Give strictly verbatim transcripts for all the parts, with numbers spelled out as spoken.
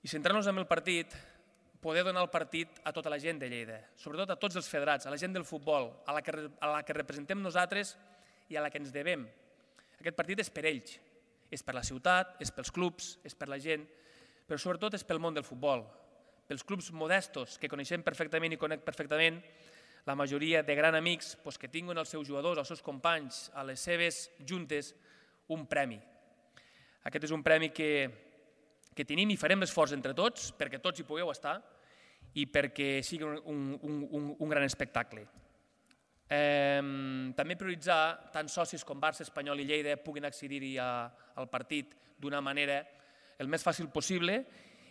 I centrant-nos en el partit, poder donar el partit a tota la gent de Lleida, sobretot a tots els federats, a la gent del futbol, a la que, a la que representem nosaltres i a la que ens devem. Aquest partit és per ells, és per la ciutat, és pels clubs, és per la gent, però sobretot és pel món del futbol, pels clubs modestos que coneixem perfectament i conec perfectament, la majoria de grans amics que tinguin els seus jugadors, els seus companys, a les seves juntes, un premi. Aquest és un premi que, que tenim i farem l'esforç entre tots perquè tots hi pugueu estar i perquè sigui un, un, un, un gran espectacle. Eh, també prioritzar tant socis com Barça, Espanyol i Lleida puguin accedir-hi al partit d'una manera el més fàcil possible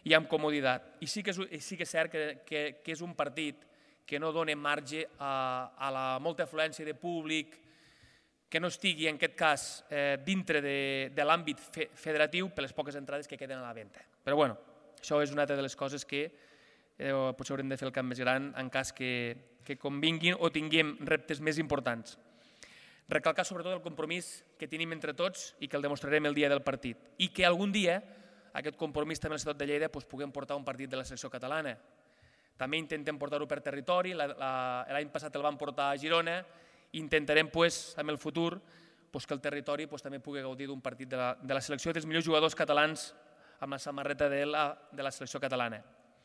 i amb comoditat. I sí que és, sí que és cert que, que, que és un partit que no dona marge a, a la molta afluència de públic, que no estigui, en aquest cas, eh, dintre de, de l'àmbit fe, federatiu per les poques entrades que queden a la venda. Però bueno, això és una altra de les coses que eh, potser haurem de fer el camp més gran en cas que, que convinguin o tinguem reptes més importants. Recalcar sobretot el compromís que tenim entre tots i que el demostrarem el dia del partit. I que algun dia aquest compromís també a la ciutat de Lleida doncs, puguem portar un partit de la selecció catalana. També intentem portar-ho per territori, l'any passat el vam portar a Girona, i intentarem pues, en el futur pues, que el territori pues, també pugui gaudir d'un partit de la, de la selecció dels millors jugadors catalans amb la samarreta de la, de la selecció catalana.